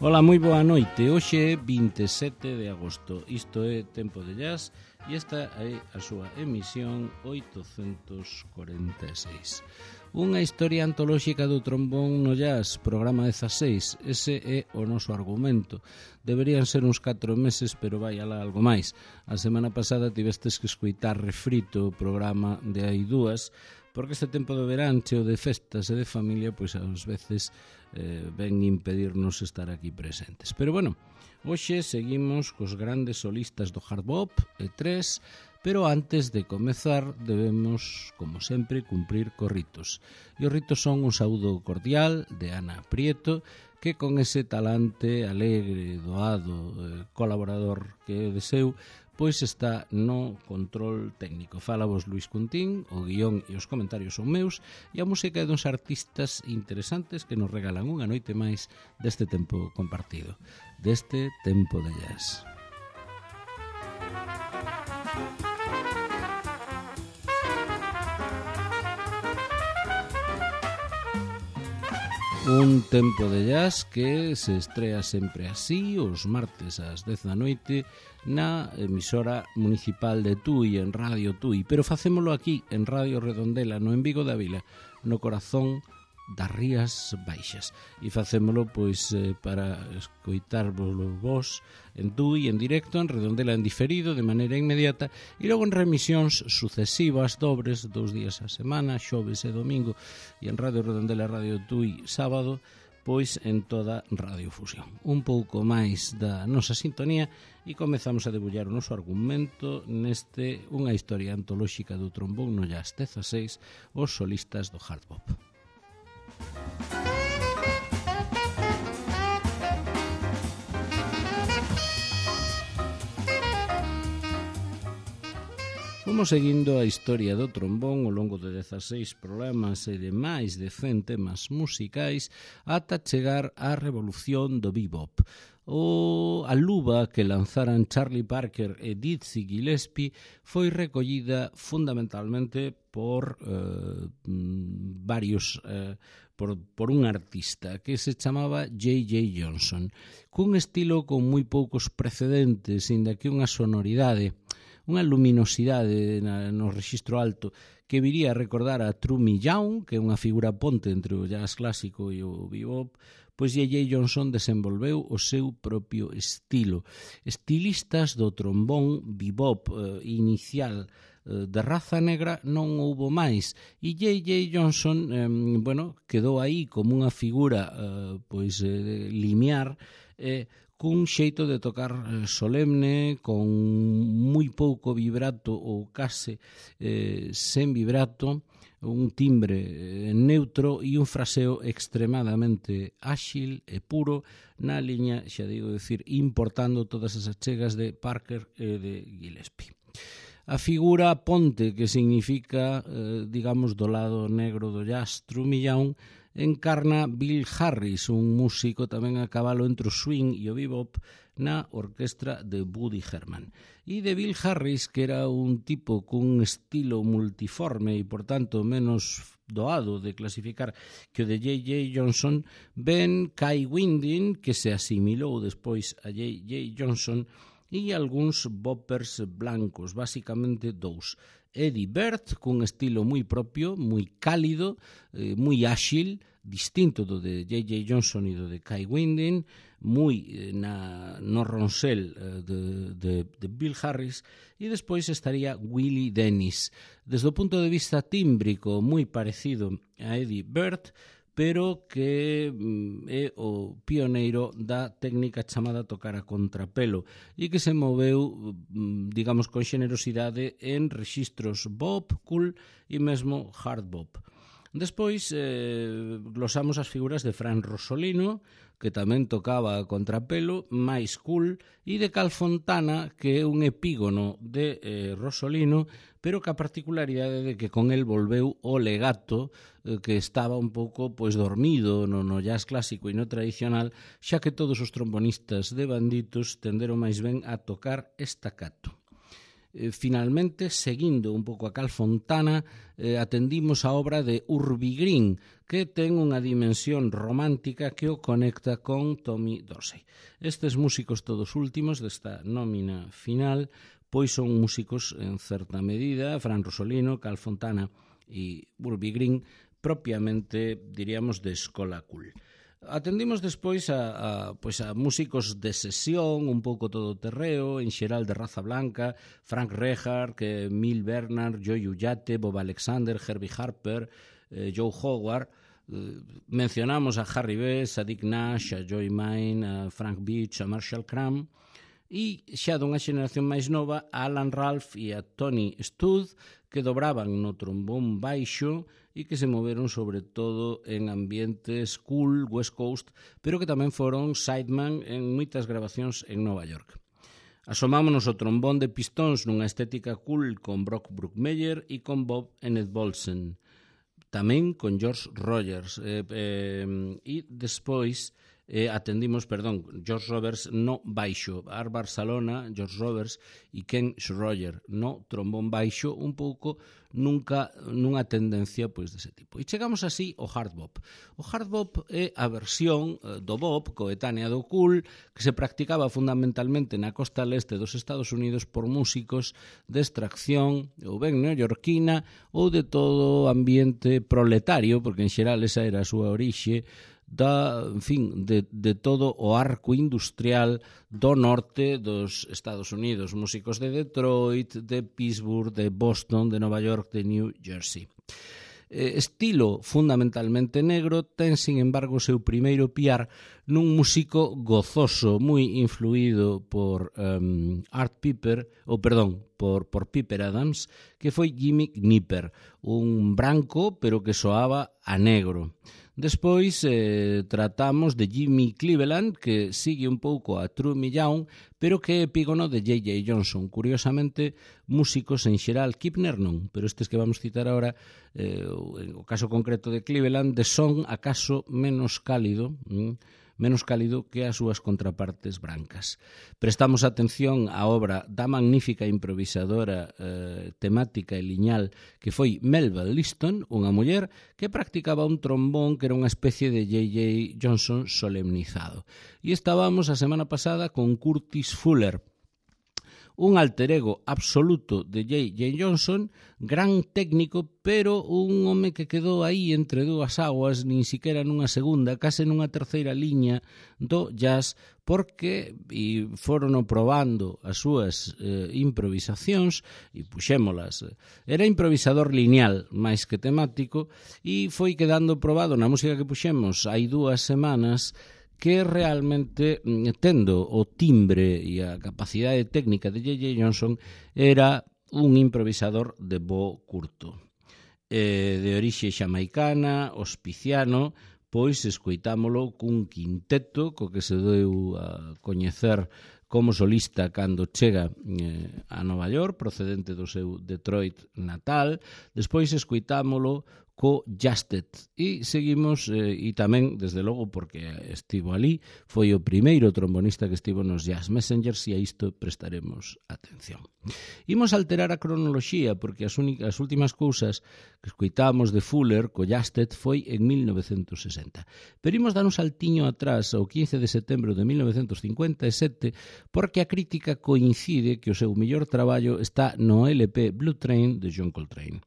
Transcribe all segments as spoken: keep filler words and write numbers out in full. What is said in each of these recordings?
Ola, moi boa noite. Hoxe é vinte e sete de agosto. Isto é Tempo de Jazz e esta é a súa emisión oitocentos corenta e seis. Unha historia antolóxica do trombón no jazz, programa dezaseis. Ese é o noso argumento. Deberían ser uns catro meses, pero vai alá algo máis. A semana pasada tivestes que escoitar refrito o programa de hai dúas, porque este tempo de verán, cheo de festas e de familia, pois ás veces eh, ven impedirnos estar aquí presentes. Pero bueno, hoxe seguimos cos grandes solistas do hard bop e tres, pero antes de comezar debemos, como sempre, cumprir cos ritos. E os ritos son un saúdo cordial de Ana Prieto, que con ese talante alegre, doado, eh, colaborador que é de seu, pois está no control técnico. Fala vos Luis Cuntín, o guión e os comentarios son meus, e a música é duns artistas interesantes que nos regalan unha noite máis deste tempo compartido, deste tempo de jazz. Un tempo de jazz que se estrea sempre así, os martes ás dez da noite, na emisora municipal de Tui, en Radio Tui. Pero facémolo aquí, en Radio Redondela, no en Vigo da Vila, no corazón das Rías Baixas. E facémolo pois eh, para escoitarvos vos en Tui, en directo, en Redondela en diferido, de maneira inmediata, e logo en remisións sucesivas, dobres, dous días a semana, xoves e domingo, e en Radio Redondela, Radio Tui, sábado, pois en toda Radiofusión. Un pouco máis da nosa sintonía e comezamos a debullar o noso argumento neste unha historia antolóxica do trombón no jazz dezaseis, os solistas do hard bop. Fomos seguindo a historia do trombón ao longo de dezaseis programas e de máis de cen temas musicais ata chegar á revolución do bebop. O a luva que lanzaran Charlie Parker e Dizzy Gillespie foi recollida fundamentalmente por eh, varios eh, por, por un artista que se chamaba J J Johnson, cun estilo con moi poucos precedentes, inda que unha sonoridade, unha luminosidade na, no rexistro alto que viría a recordar a True Young, que é unha figura ponte entre o jazz clásico e o bebop. Pois J J Johnson desenvolveu o seu propio estilo. Estilistas do trombón bebop eh, inicial eh, de raza negra non houbo máis, e J J Johnson eh, bueno, quedou aí como unha figura eh, pois eh, limiar, eh, cun xeito de tocar solemne, con moi pouco vibrato ou case eh, sen vibrato, un timbre neutro e un fraseo extremadamente áxil e puro na liña, xa digo decir, importando todas as achegas de Parker e de Gillespie. A figura ponte, que significa, eh, digamos, do lado negro do jazz, trumillán, encarna Bill Harris, un músico tamén a cabalo entre o swing e o bebop na orquestra de Woody Herman. E de Bill Harris, que era un tipo cun estilo multiforme e, por tanto, menos doado de clasificar que o de J J Johnson, ben Kai Winding, que se asimilou despois a J J Johnson, e algúns boppers blancos, basicamente dous. Eddie Bird, cun estilo moi propio, moi cálido, eh, moi áxil, distinto do de J J Johnson e do de Kai Winding, moi eh, na, no ronsel eh, de, de, de Bill Harris, e despois estaría Willie Dennis. Desde o punto de vista tímbrico, moi parecido a Eddie Bird, pero que mm, é o pioneiro da técnica chamada tocar a contrapelo e que se moveu, mm, digamos, con xenerosidade en rexistros bop, cool e mesmo hard bop. Despois eh, glosamos as figuras de Fran Rosolino, que tamén tocaba a contrapelo, máis cool, e de Cal Fontana, que é un epígono de eh, Rosolino, pero que a particularidade de que con el volveu o legato, eh, que estaba un pouco pois dormido no, no jazz clásico e no tradicional, xa que todos os trombonistas de banditos tenderon máis ben a tocar estacato. eh, finalmente, seguindo un pouco a Cal Fontana, eh, atendimos a obra de Urbie Green, que ten unha dimensión romántica que o conecta con Tommy Dorsey. Estes músicos todos últimos desta nómina final pois son músicos en certa medida, Fran Rosolino, Cal Fontana e Urbie Green, propiamente, diríamos, de escola cool. Atendimos despois a, a, pois a músicos de sesión, un pouco todo terreo, en xeral de raza blanca, Frank Rehard, que Mil Bernard, Joe Ullate, Bob Alexander, Herbie Harper, eh, Joe Howard. Eh, mencionamos a Harry Bess, a Dick Nash, a Joey Mine, a Frank Beach, a Marshall Cram, e xa dunha xeración máis nova a Alan Ralph e a Tony Stud, que dobraban no trombón baixo e que se moveron sobre todo en ambientes cool, West Coast, pero que tamén foron sideman en moitas grabacións en Nova York. Asomámonos o trombón de pistóns nunha estética cool con Brock Bruckmeyer e con Bob Enid-Bolsen, tamén con George Rogers, eh, eh, e despois eh, atendimos, perdón, George Roberts no baixo, Art Barcelona, George Roberts e Ken Schroyer no trombón baixo, un pouco nunca nunha tendencia pois dese tipo. E chegamos así ao hard bop. O hard bop é a versión eh, do bop coetánea do cool que se practicaba fundamentalmente na costa leste dos Estados Unidos por músicos de extracción ou ben neoyorquina ou de todo ambiente proletario, porque en xeral esa era a súa orixe, da, en fin, de, de todo o arco industrial do norte dos Estados Unidos, músicos de Detroit, de Pittsburgh, de Boston, de Nova York, de New Jersey. Eh, estilo fundamentalmente negro, ten, sin embargo, o seu primeiro piar nun músico gozoso, moi influído por um, Art Piper, ou perdón, por, por Piper Adams, que foi Jimmy Knipper, un branco, pero que soaba a negro. Despois eh, tratamos de Jimmy Cleveland, que sigue un pouco a True Millán, pero que é epígono de J J Johnson. Curiosamente, músicos en xeral, Kipner non, pero estes que vamos citar agora, eh, o caso concreto de Cleveland, de son acaso menos cálido, hm, menos cálido que as súas contrapartes brancas. Prestamos atención á obra da magnífica improvisadora eh, temática e liñal que foi Melba Liston, unha muller que practicaba un trombón que era unha especie de J J Johnson solemnizado. E estábamos a semana pasada con Curtis Fuller, un alter ego absoluto de J J Johnson, gran técnico, pero un home que quedou aí entre dúas aguas, nin siquiera nunha segunda, case nunha terceira liña do jazz, porque e foron probando as súas eh, improvisacións e puxémolas. Era improvisador lineal máis que temático e foi quedando probado na música que puxemos hai dúas semanas, que realmente, tendo o timbre e a capacidade técnica de J J Johnson, era un improvisador de bo curto. Eh, de orixe xamaicana, hospiciano, pois escoitámolo cun quinteto co que se deu a coñecer como solista cando chega eh, a Nova York, procedente do seu Detroit natal. Despois escoitámolo co Justed e seguimos eh, e tamén, desde logo, porque estivo ali, foi o primeiro trombonista que estivo nos Jazz Messengers e a isto prestaremos atención. Imos alterar a cronoloxía porque as, únicas, as últimas cousas que escoitamos de Fuller co Justed foi en mil novecentos sesenta. Pero imos dar un saltiño atrás ao quince de setembro de mil novecentos cincuenta e sete porque a crítica coincide que o seu mellor traballo está no L P Blue Train de John Coltrane.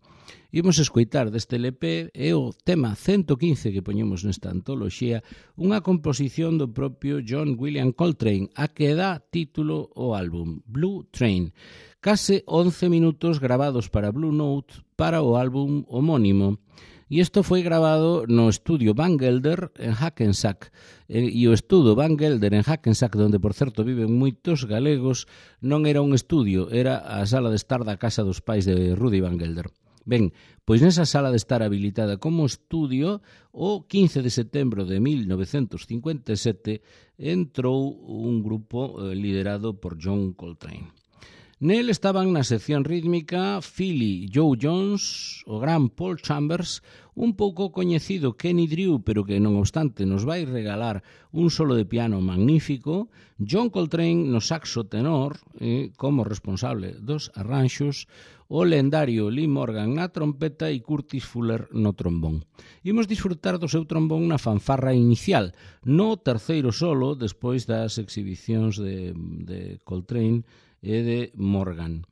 Imos escoitar deste L P e o tema ciento quince que poñemos nesta antoloxía, unha composición do propio John William Coltrane, a que dá título ao álbum, Blue Train. Case once minutos grabados para Blue Note para o álbum homónimo. E isto foi grabado no estudio Van Gelder en Hackensack. E o estudo Van Gelder en Hackensack, onde, por certo, viven moitos galegos, non era un estudio, era a sala de estar da casa dos pais de Rudy Van Gelder. Ben, pois nesa sala de estar habilitada como estudio, o quince de setembro de mil novecentos cincuenta e sete entrou un grupo liderado por John Coltrane. Nel estaban na sección rítmica Philly Joe Jones, o gran Paul Chambers, un pouco coñecido Kenny Drew, pero que non obstante nos vai regalar un solo de piano magnífico, John Coltrane no saxo tenor, eh, como responsable dos arranxos, o lendario Lee Morgan na trompeta e Curtis Fuller no trombón. Imos disfrutar do seu trombón na fanfarra inicial, no terceiro solo, despois das exhibicións de, de Coltrane e de Morgan.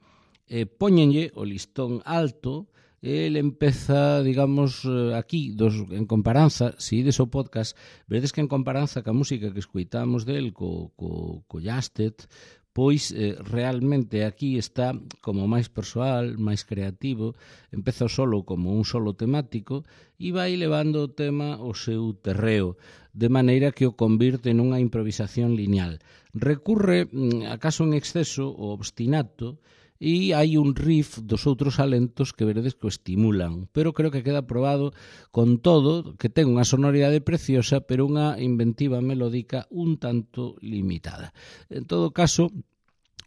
Eh, póñenlle o listón alto. El empeza, digamos, aquí, dos, en comparanza, se ides ao podcast, veredes que en comparanza ca música que escoitamos del, co, co, co Jastet, pois eh, realmente aquí está como máis persoal, máis creativo, empeza o solo como un solo temático e vai levando o tema ao seu terreo, de maneira que o convirte nunha improvisación lineal. Recurre, acaso en exceso, o obstinato, e hai un riff dos outros alentos que veredes que o estimulan, pero creo que queda probado con todo, que ten unha sonoridade preciosa, pero unha inventiva melódica un tanto limitada. En todo caso,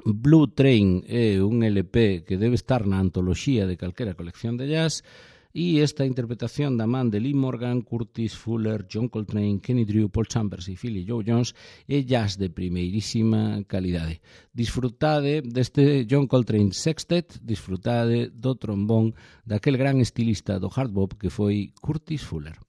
Blue Train é un L P que debe estar na antoloxía de calquera colección de jazz, e esta interpretación da man de Lee Morgan, Curtis Fuller, John Coltrane, Kenny Drew, Paul Chambers e Philly Joe Jones é jazz de primeirísima calidade. Disfrutade deste John Coltrane Sextet, disfrutade do trombón daquel gran estilista do hard bop que foi Curtis Fuller.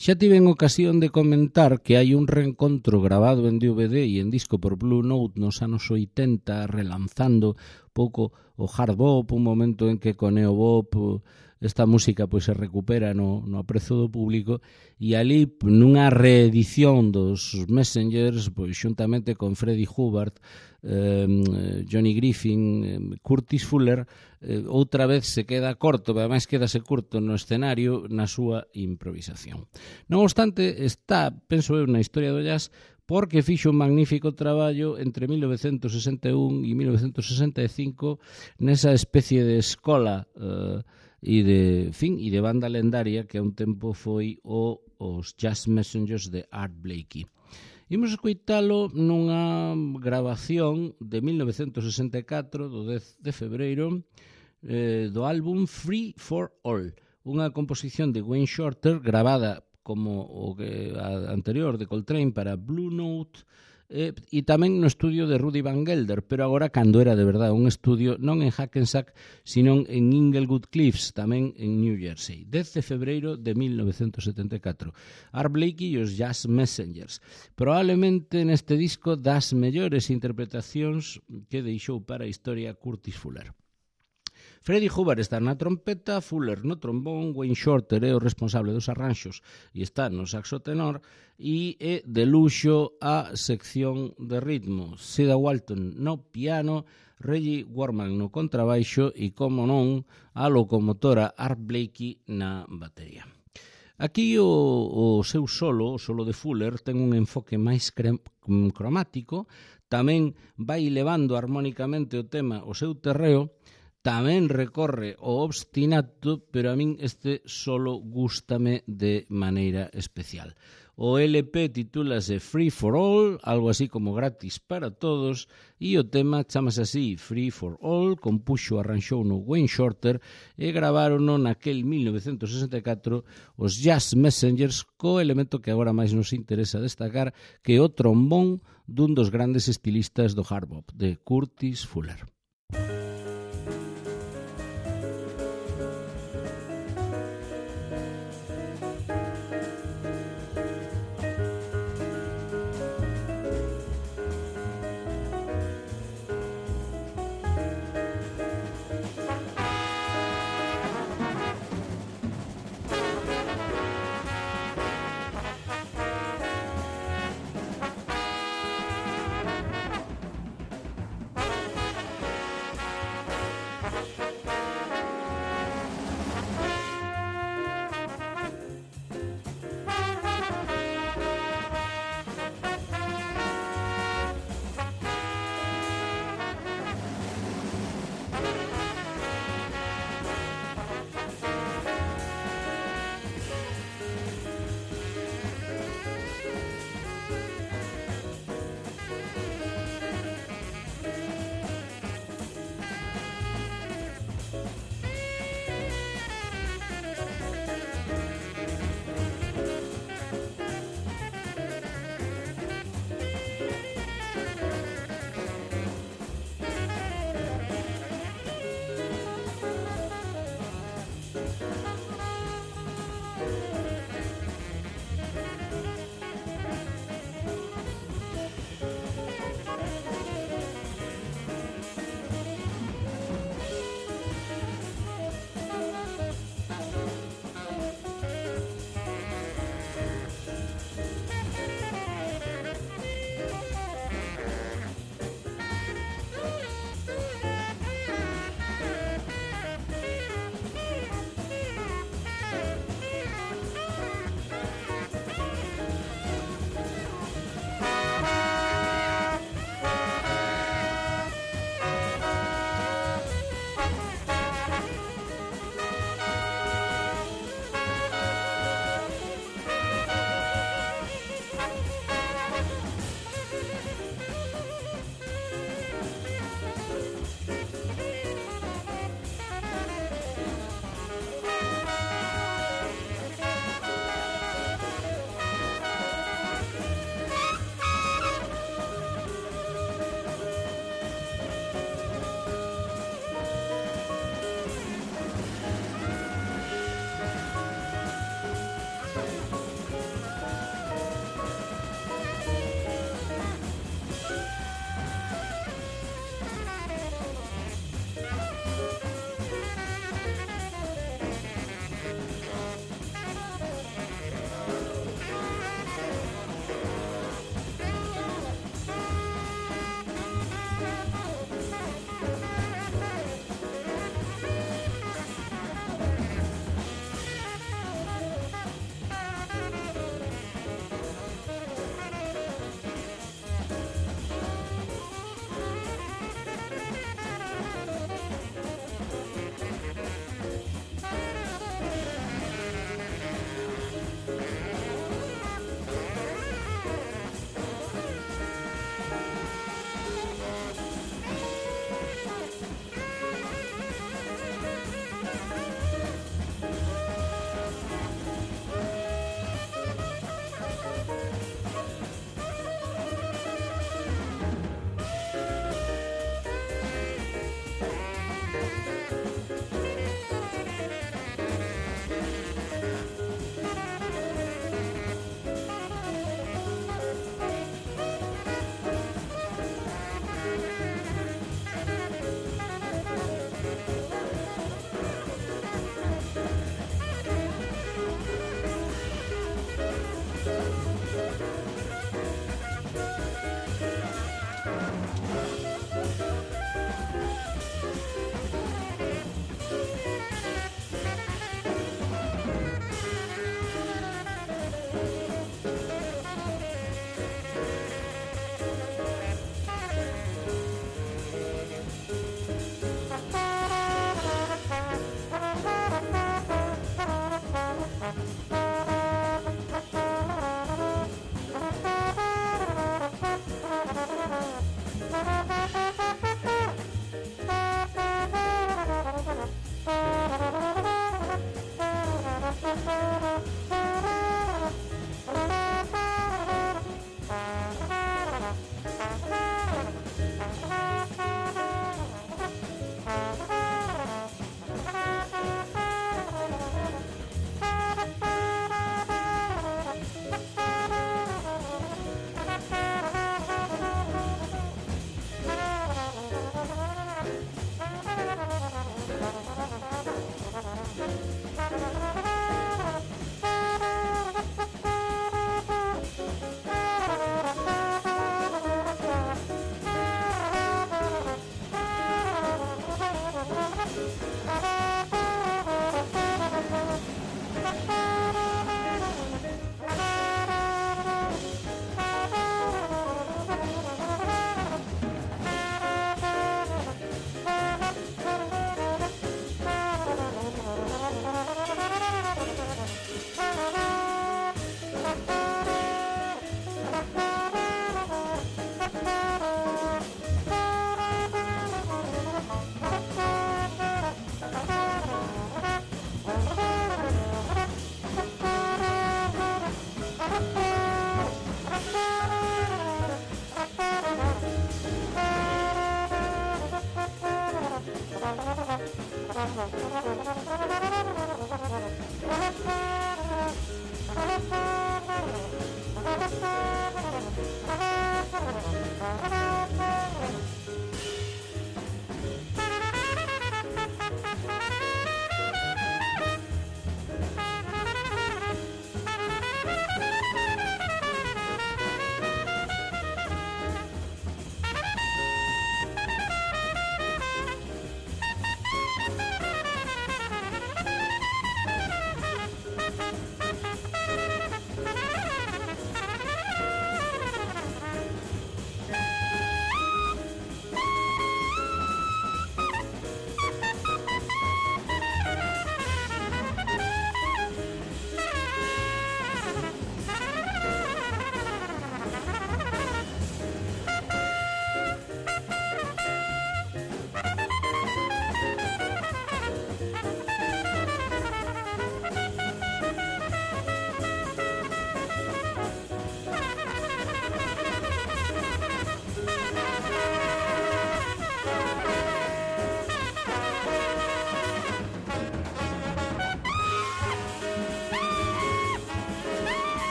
Xa tiven ocasión de comentar que hai un reencontro grabado en D V D e en disco por Blue Note nos anos oitenta, relanzando pouco o hard bop, un momento en que co neo bop esta música pois se recupera no, no aprezo do público, e ali nunha reedición dos Messengers, pois xuntamente con Freddie Hubbard, eh, Johnny Griffin, eh, Curtis Fuller, eh, outra vez se queda corto, pero ademais quedase curto no escenario na súa improvisación. Non obstante, está, penso eu, na historia do jazz, porque fixo un magnífico traballo entre mil novecentos sesenta e un e mil novecentos sesenta e cinco nesa especie de escola eh, e de, fin, e de banda lendaria que a un tempo foi o, os Jazz Messengers de Art Blakey. Imos escoitalo nunha grabación de mil novecentos sesenta e catro, do dez de febreiro, eh, do álbum Free for All, unha composición de Wayne Shorter gravada como o que a anterior de Coltrane para Blue Note, eh, e tamén no estudio de Rudy Van Gelder, pero agora cando era de verdade un estudio non en Hackensack, sino en Inglewood Cliffs, tamén en New Jersey. dez de febreiro de mil novecentos setenta e catro. Art Blakey e os Jazz Messengers. Probablemente neste disco das mellores interpretacións que deixou para a historia Curtis Fuller. Freddie Hubbard está na trompeta, Fuller no trombón, Wayne Shorter é o responsable dos arranxos e está no saxo tenor, e é de luxo a sección de ritmo. Cedar Walton no piano, Reggie Worman no contrabaixo e, como non, a locomotora Art Blakey na batería. Aquí o, o seu solo, o solo de Fuller, ten un enfoque máis cromático, tamén vai levando armónicamente o tema o seu terreo, tamén recorre o obstinato, pero a min este solo gústame de maneira especial. O L P titúlase Free for All, algo así como gratis para todos, e o tema chamase así, Free for All, compuxo arranxou no Wayne Shorter e gravarono naquel mil novecentos sesenta e catro os Jazz Messengers, co elemento que agora máis nos interesa destacar, que é o trombón dun dos grandes estilistas do hard bop, de Curtis Fuller.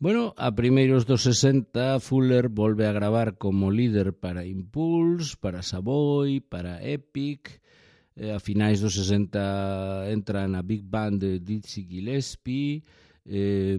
Bueno, a primeiros dos sesenta, Fuller volve a gravar como líder para Impulse, para Savoy, para Epic. Eh, a finais dos sesenta entra na Big Band de Dizzy Gillespie. Eh,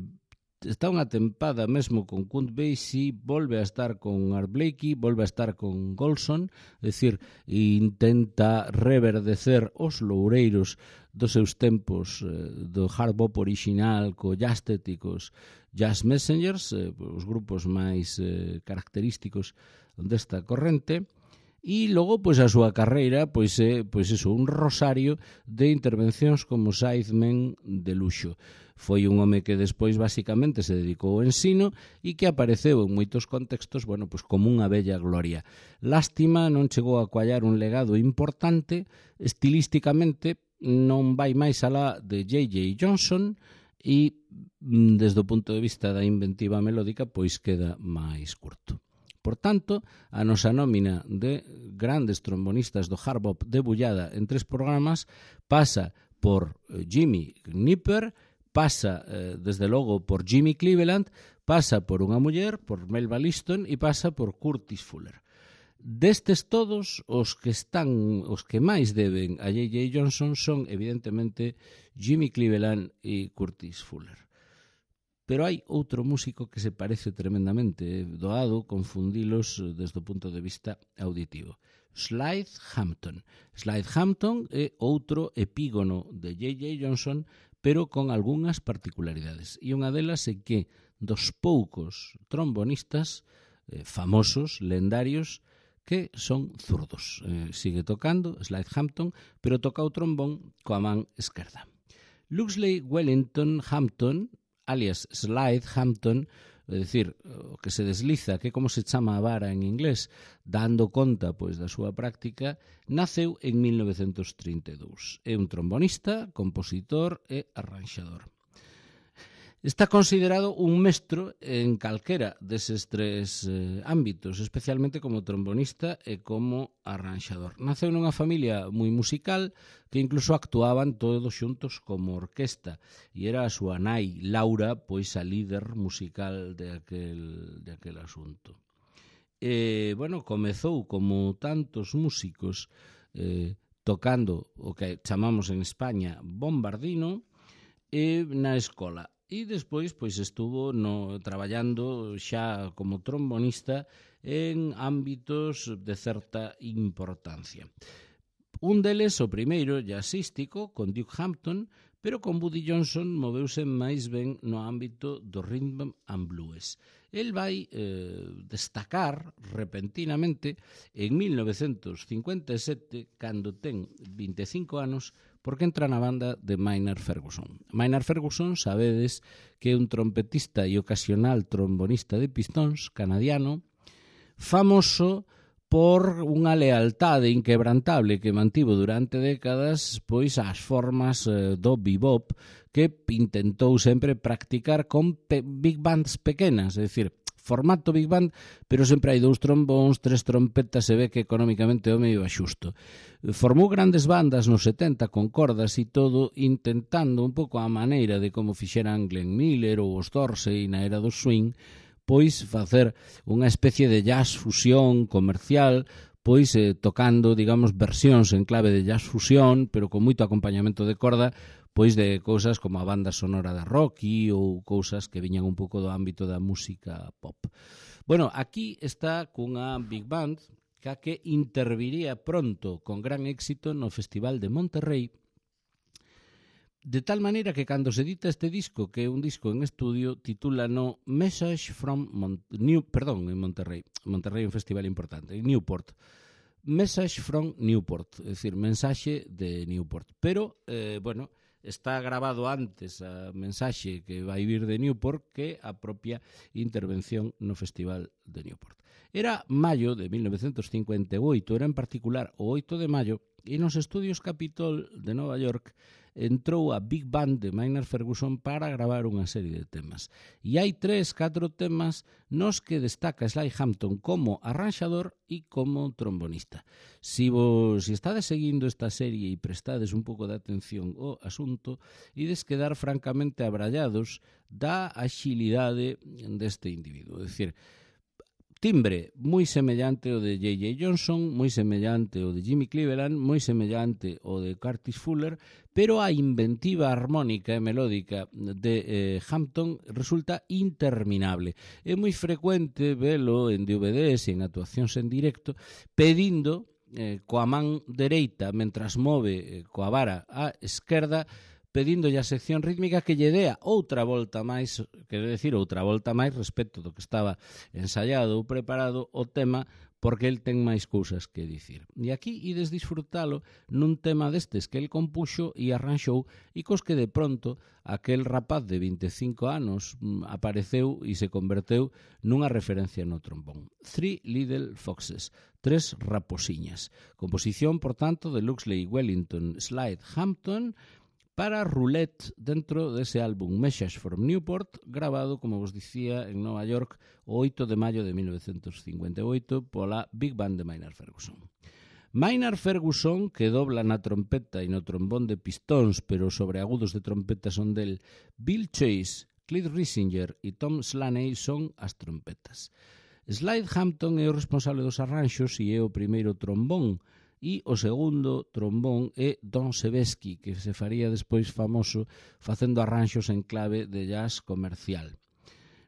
está unha tempada mesmo con Count Basie, volve a estar con Art Blakey, volve a estar con Golson, é dicir, intenta reverdecer os loureiros dos seus tempos eh, do hard bop original co Jazztet e cos Jazz Messengers, eh, os grupos máis eh, característicos desta corrente. E logo, pois, a súa carreira, pois, é, pois, eso, un rosario de intervencións como sidemen de luxo. Foi un home que despois, basicamente, se dedicou ao ensino e que apareceu en moitos contextos, bueno, pois, como unha bella gloria. Lástima, non chegou a coallar un legado importante, estilísticamente non vai máis alá de J J Johnson e, desde o punto de vista da inventiva melódica, pois queda máis curto. Por tanto, a nosa nómina de grandes trombonistas do hard bop debullada en tres programas pasa por Jimmy Knipper, pasa, eh, desde logo, por Jimmy Cleveland, pasa por unha muller, por Melba Liston e pasa por Curtis Fuller. Destes todos, os que están, os que máis deben a J J Johnson son, evidentemente, Jimmy Cleveland e Curtis Fuller. Pero hai outro músico que se parece tremendamente, doado confundilos desde o punto de vista auditivo. Slide Hampton. Slide Hampton é outro epígono de J J Johnson, pero con algunhas particularidades. E unha delas é que dos poucos trombonistas eh, famosos, lendarios, que son zurdos. Eh, sigue tocando Slide Hampton, pero toca o trombón coa man esquerda. Luxley Wellington Hampton, alias Slide Hampton, é dicir, o que se desliza, que como se chama a vara en inglés, dando conta pois da súa práctica, naceu en mil novecentos trinta e dous. É un trombonista, compositor e arranxador. Está considerado un mestro en calquera deses tres eh, ámbitos, especialmente como trombonista e como arranxador. Naceu nunha familia moi musical que incluso actuaban todos xuntos como orquesta e era a súa nai, Laura, pois a líder musical de aquel, de aquel asunto. E, bueno, comezou como tantos músicos eh, tocando o que chamamos en España bombardino e na escola. E despois pois estuvo no, traballando xa como trombonista en ámbitos de certa importancia. Un deles, o primeiro, jazzístico, con Duke Hampton, pero con Buddy Johnson moveuse máis ben no ámbito do rhythm and blues. El vai eh, destacar repentinamente en mil novecentos cincuenta e sete, cando ten vinte e cinco anos, porque entra na banda de Maynard Ferguson. Maynard Ferguson, sabedes que é un trompetista e ocasional trombonista de pistóns canadiano, famoso por unha lealtade inquebrantable que mantivo durante décadas pois as formas eh, do bebop que intentou sempre practicar con pe- big bands pequenas, é dicir, formato big band, pero sempre hai dous trombóns, tres trompetas, se ve que económicamente o medio axusto. Formou grandes bandas nos setenta con cordas e todo, intentando un pouco a maneira de como fixeran Glenn Miller ou os Dorsey na era do swing, pois facer unha especie de jazz fusión comercial, pois eh, tocando, digamos, versións en clave de jazz fusión, pero con moito acompañamento de corda, pois de cousas como a banda sonora da Rocky ou cousas que viñan un pouco do ámbito da música pop. Bueno, aquí está cunha big band que a que interviría pronto con gran éxito no Festival de Monterrey, de tal maneira que cando se edita este disco, que é un disco en estudio, titula no Message from Mon- New, perdón, en Monterrey, Monterrey é un festival importante, en Newport, Message from Newport, é dicir, mensaxe de Newport, pero, eh, bueno, está grabado antes a mensaxe que vai vir de Newport que a propia intervención no Festival de Newport. Era maio de mil novecentos cincuenta e oito, era en particular o oito de maio, e nos estudios Capitol de Nova York entrou a Big Band de Maynard Ferguson para gravar unha serie de temas. E hai tres, catro temas nos que destaca Sly Hampton como arranxador e como trombonista. Si vos si estades seguindo esta serie e prestades un pouco de atención ao asunto, ides quedar francamente abrallados da axilidade deste individuo. É dicir, timbre moi semellante ao de J J Johnson, moi semellante ao de Jimmy Cleveland, moi semellante ao de Curtis Fuller, pero a inventiva armónica e melódica de eh, Hampton resulta interminable. É moi frecuente velo en D V Ds e en actuacións en directo pedindo eh, coa man dereita, mentras move eh, coa vara á esquerda, pedindolle a sección rítmica que lle dea outra volta máis, quero decir, outra volta máis respecto do que estaba ensaiado ou preparado o tema, porque el ten máis cousas que dicir. E aquí ides disfrutalo nun tema destes que el compuxo e arranxou e cos que de pronto aquel rapaz de vinte e cinco anos apareceu e se converteu nunha referencia no trombón. Three Little Foxes, tres raposiñas. Composición, por tanto, de Luxley Wellington Slide Hampton, para Roulette dentro dese álbum Message from Newport, grabado, como vos dicía, en Nova York o oito de maio de mil novecientos cincuenta e oito pola Big Band de Maynard Ferguson. Maynard Ferguson, que dobla na trompeta e no trombón de pistóns, pero sobre agudos de trompeta son del Bill Chase, Cliff Risinger e Tom Slaney son as trompetas. Slide Hampton é o responsable dos arranxos e é o primeiro trombón, e o segundo trombón é Don Sebesky, que se faría despois famoso facendo arranxos en clave de jazz comercial.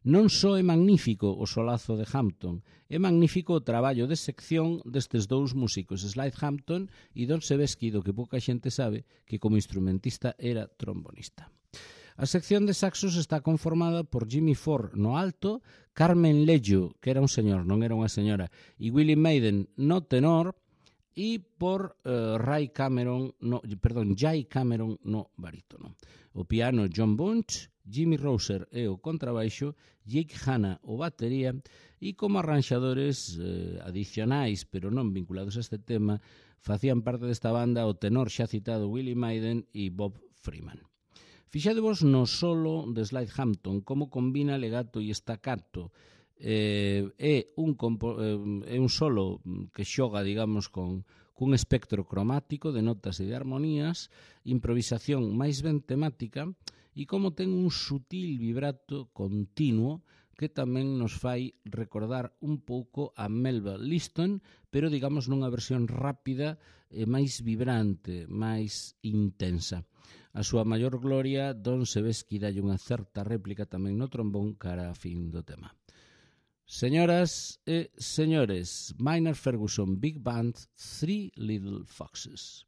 Non só é magnífico o solazo de Hampton, é magnífico o traballo de sección destes dous músicos, Slide Hampton e Don Sebesky, do que pouca xente sabe que como instrumentista era trombonista. A sección de saxos está conformada por Jimmy Ford no alto, Carmen Leggio, que era un señor, non era unha señora, e Willie Maiden no tenor, e por uh, Ray Cameron, no, perdón, Jay Cameron no barítono. O piano John Bunch, Jimmy Roser e o contrabaixo, Jake Hanna o batería, e como arranxadores eh, adicionais, pero non vinculados a este tema, facían parte desta banda o tenor xa citado Willie Maiden e Bob Freeman. Fixadevos no solo de Slide Hampton, como combina legato e staccato. Eh, é, un compo, eh, é un solo que xoga, digamos, con cun espectro cromático de notas e de armonías, improvisación máis ben temática e como ten un sutil vibrato continuo que tamén nos fai recordar un pouco a Melba Liston, pero digamos nunha versión rápida e máis vibrante, máis intensa. A súa maior gloria, Don Sebesky dalle unha certa réplica tamén no trombón cara a fin do tema. Señoras e señores, Maynard Ferguson Big Band, Three Little Foxes.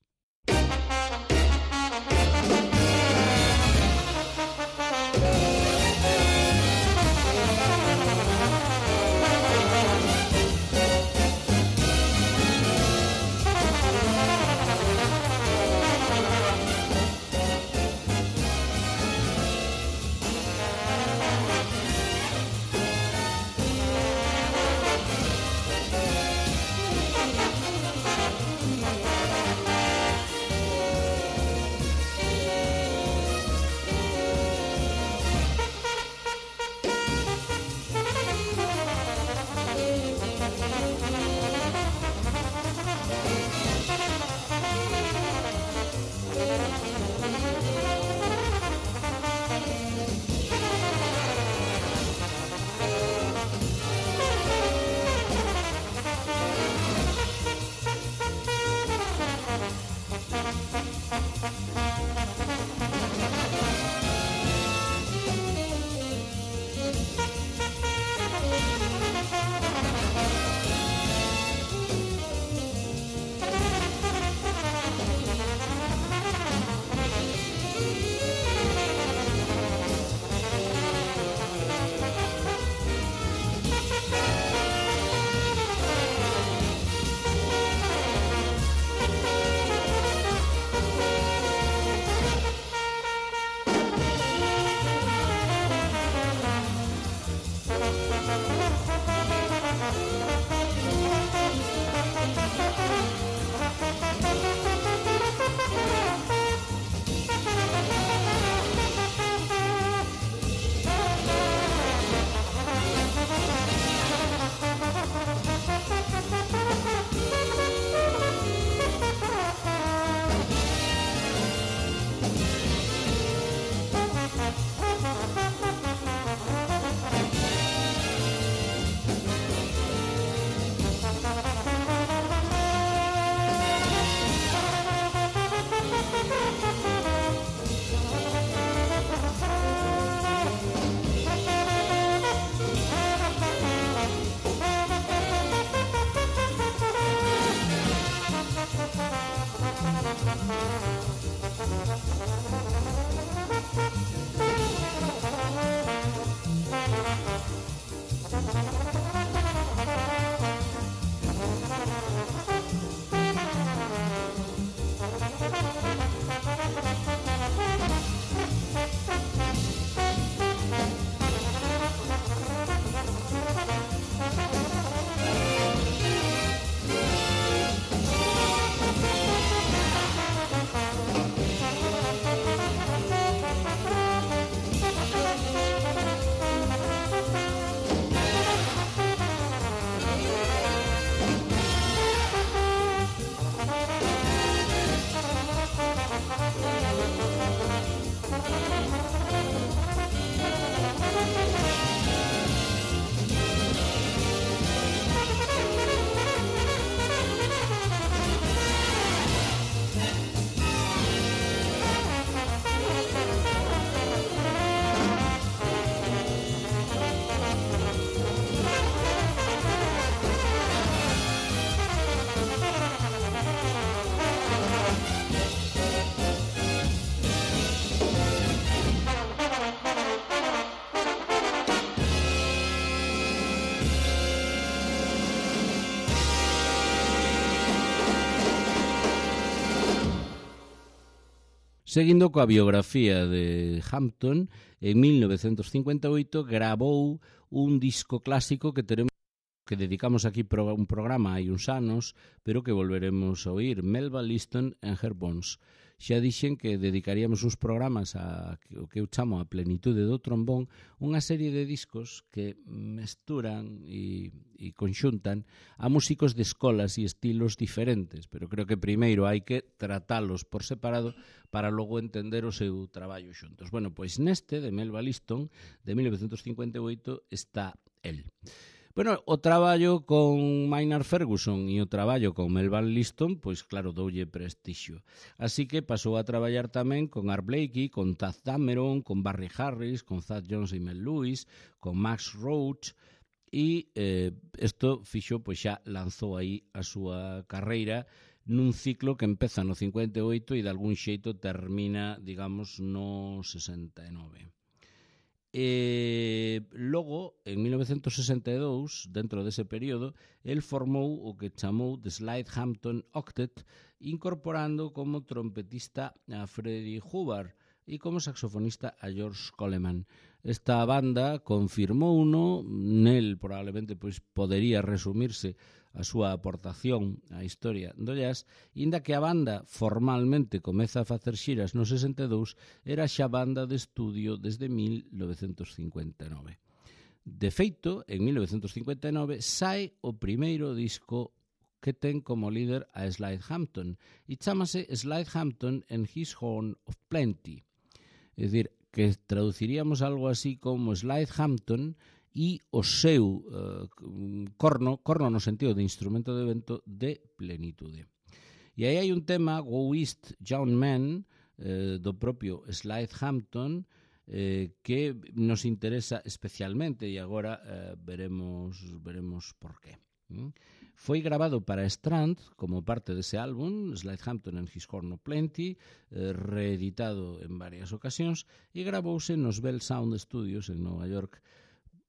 Seguindo coa biografía de Hampton, en mil novecentos cincuenta e oito gravou un disco clásico que teremos que dedicamos aquí un programa hai uns anos, pero que volveremos a oír, Melba Liston and Her Bones. Xa dixen que dedicaríamos uns programas a o que eu chamo a plenitude do trombón, unha serie de discos que mesturan e, e conxuntan a músicos de escolas e estilos diferentes, pero creo que primeiro hai que tratalos por separado para logo entender o seu traballo xuntos. Bueno, pois neste de Melba Liston, de mil novecentos cincuenta e oito, está el. Bueno, o traballo con Maynard Ferguson e o traballo con Melba Liston, pois claro, doulle prestixio. Así que pasou a traballar tamén con Art Blakey, con Taft Dameron, con Barry Harris, con Thad Jones e Mel Lewis, con Max Roach, e eh, isto fixo, pois xa lanzou aí a súa carreira nun ciclo que empeza no cincuenta e oito e de algún xeito termina, digamos, no sesenta e nove. E logo, en mil novecentos sesenta e dous, dentro dese período, el formou o que chamou The Slide Hampton Octet, incorporando como trompetista a Freddie Hubbard e como saxofonista a George Coleman. Esta banda confirmou uno, nel probablemente pois podería resumirse a súa aportación á historia do jazz, inda que a banda formalmente comeza a facer xiras no sesenta e dous, era xa banda de estudio desde mil novecentos cincuenta e nove. De feito, en mil novecentos cincuenta e nove sae o primeiro disco que ten como líder a Slide Hampton e chamase Slide Hampton and His Horn of Plenty. É dicir, que traduciríamos algo así como Slide Hampton e o seu uh, corno, corno no sentido de instrumento de vento de plenitude. E aí hai un tema, Go East, Young Man, eh, do propio Slide Hampton, eh, que nos interesa especialmente e agora eh, veremos, veremos por qué. ¿Mm? Foi grabado para Strand como parte dese álbum, Slide Hampton and His Horn of Plenty, eh, reeditado en varias ocasións, e gravouse nos Bell Sound Studios en Nova York,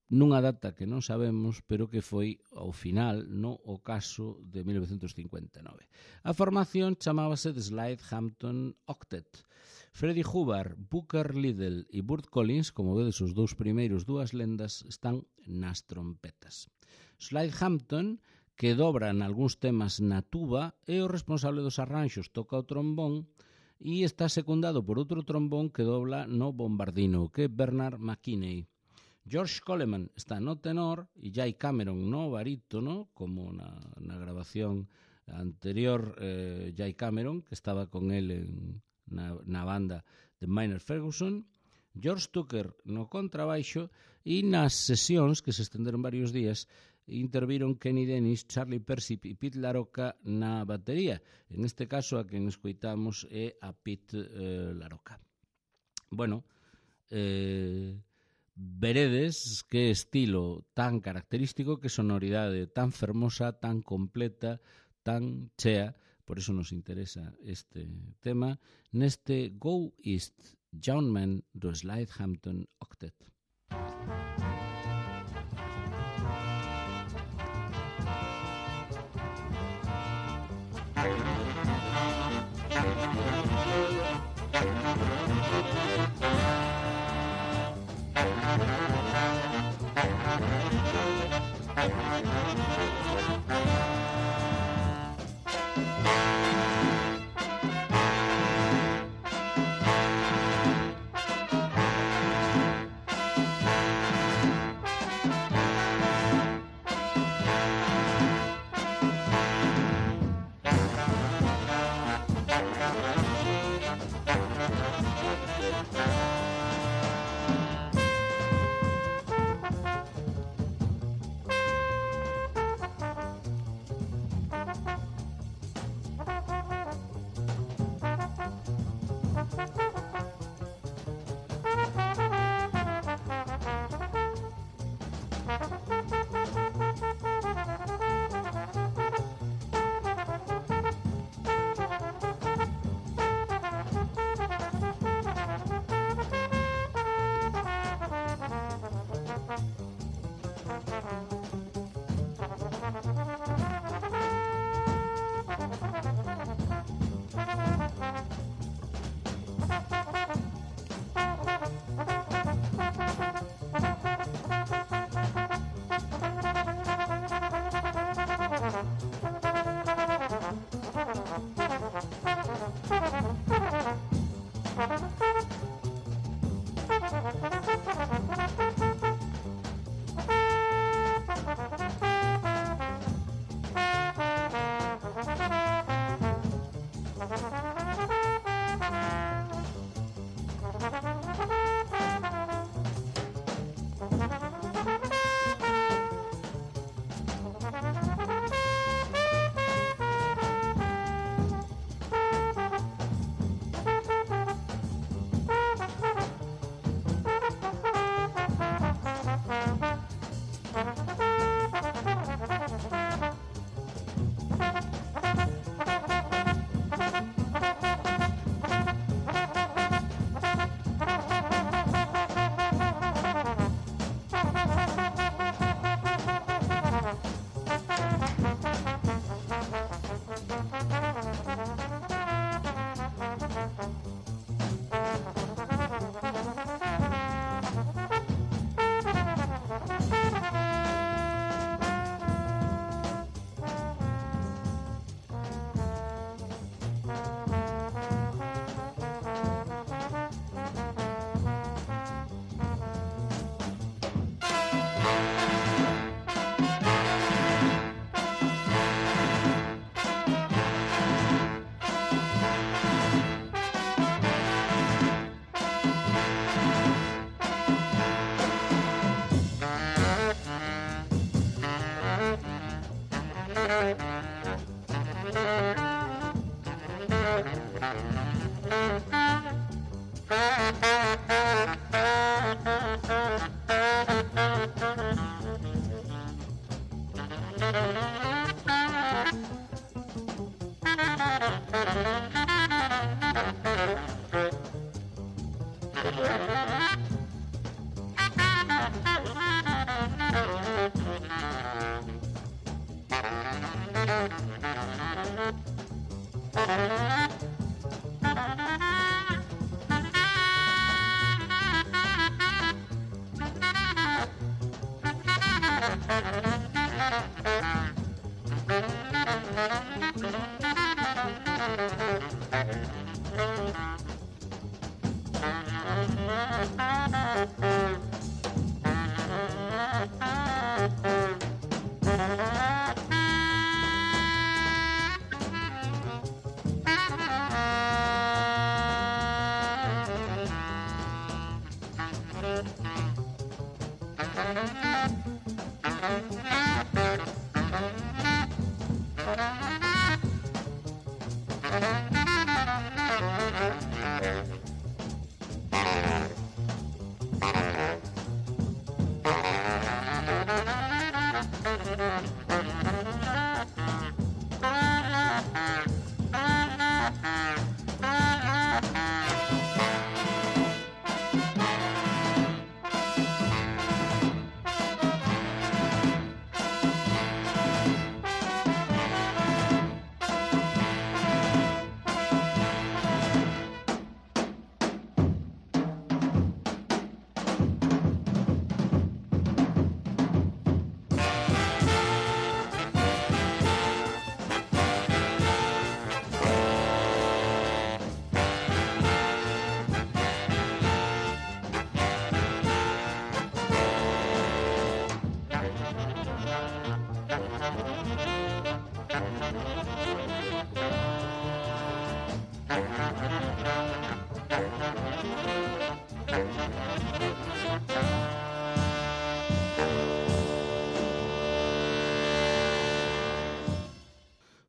nunha data que non sabemos, pero que foi ao final no ocaso de mil novecentos cincuenta e nove. A formación chamábase The Slide Hampton Octet. Freddie Hubbard, Booker Liddell e Burt Collins, como vedes os dous primeiros dúas lendas, están nas trompetas. Slide Hampton, que dobra nalgúns temas na tuba, é o responsable dos arranxos, toca o trombón e está secundado por outro trombón que dobla no bombardino, que é Bernard McKinney. George Coleman está no tenor e Jay Cameron no barítono, como na, na grabación anterior, eh, Jay Cameron, que estaba con él en, na, na banda de Maynard Ferguson, George Tucker no contrabaixo e nas sesións, que se estenderon varios días, interviron Kenny Dennis, Charlie Persip e Pete LaRocca na batería. En este caso, a quen escoitamos é a Pete eh, LaRocca. Bueno, eh... veredes que estilo tan característico, que sonoridade tan fermosa, tan completa, tan chea, por iso nos interesa este tema, neste Go East, Young Man do Slide Hampton Octet.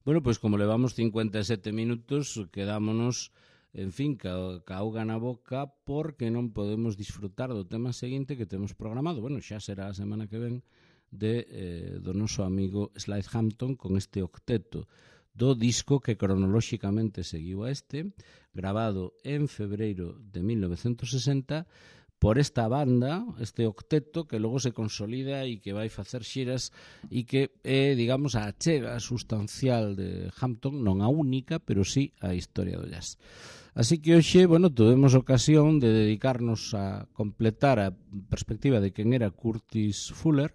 Bueno, pois como levamos cincuenta e sete minutos, quedámonos, en fin, ca, ca auga na boca, porque non podemos disfrutar do tema seguinte que temos programado. Bueno, xa será a semana que ven de, eh, do noso amigo Slade Hampton con este octeto do disco que cronolóxicamente seguiu a este, grabado en febreiro de mil novecentos sesenta, por esta banda, este octeto, que logo se consolida e que vai facer xiras e que é, digamos, a achega sustancial de Hampton, non a única, pero sí a historia do jazz. Así que hoxe, bueno, tuvemos ocasión de dedicarnos a completar a perspectiva de quen era Curtis Fuller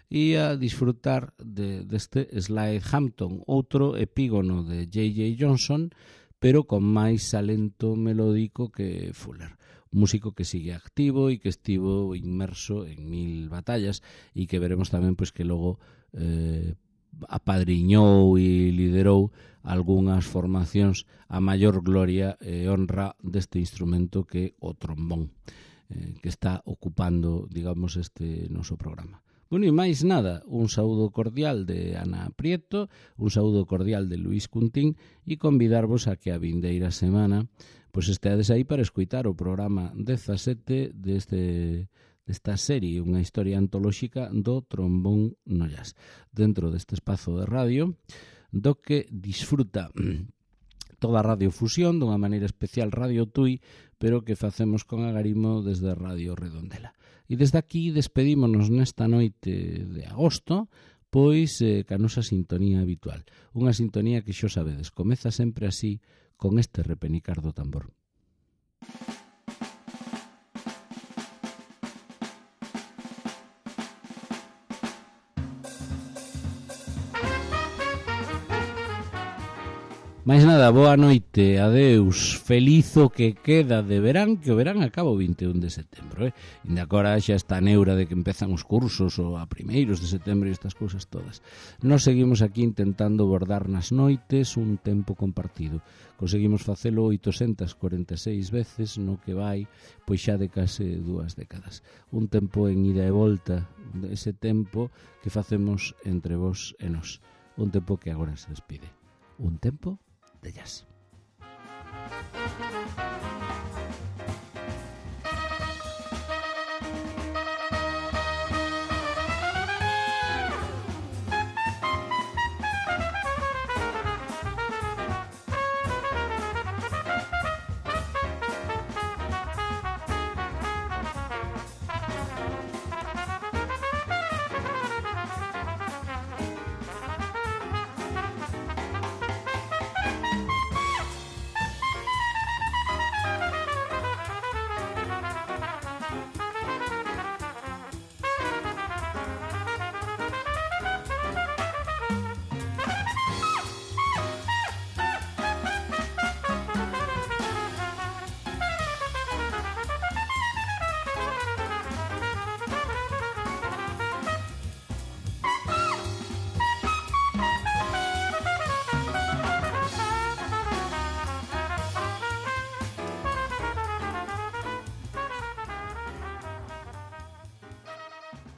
e a disfrutar de, deste Slade Hampton, outro epígono de J J Johnson, pero con máis talento melódico que Fuller. Músico que sigue activo e que estivo inmerso en mil batallas e que veremos tamén pois que logo eh, apadriñou e liderou algunhas formacións a maior gloria e honra deste instrumento que o trombón, eh, que está ocupando, digamos, este noso programa. Bueno, e máis nada, un saúdo cordial de Ana Prieto, un saúdo cordial de Luís Cuntín e convidarvos a que a vindeira semana pois esteades aí para escuitar o programa dezasete deste, desta serie, unha historia antolóxica do trombón no jazz, dentro deste espazo de radio, do que disfruta toda a radiofusión, dunha maneira especial Radio Tui, pero que facemos con agarimo desde Radio Redondela. E desde aquí despedímonos nesta noite de agosto, pois eh, ca nosa sintonía habitual. Unha sintonía que xo sabedes, comeza sempre así, con este repenicar do tambor. Mais nada, boa noite, adeus, feliz o que queda de verán, que o verán acaba o vinte e un de setembro, eh? Inda agora xa está a neura de que empezan os cursos ou a primeiros de setembro e estas cousas todas. Nos seguimos aquí intentando bordar nas noites un tempo compartido. Conseguimos facelo oitocentas cuarenta e seis veces no que vai, pois xa de case dúas décadas. Un tempo en ida e volta, ese tempo que facemos entre vos e nós. Un tempo que agora se despide. Un tempo de jazz.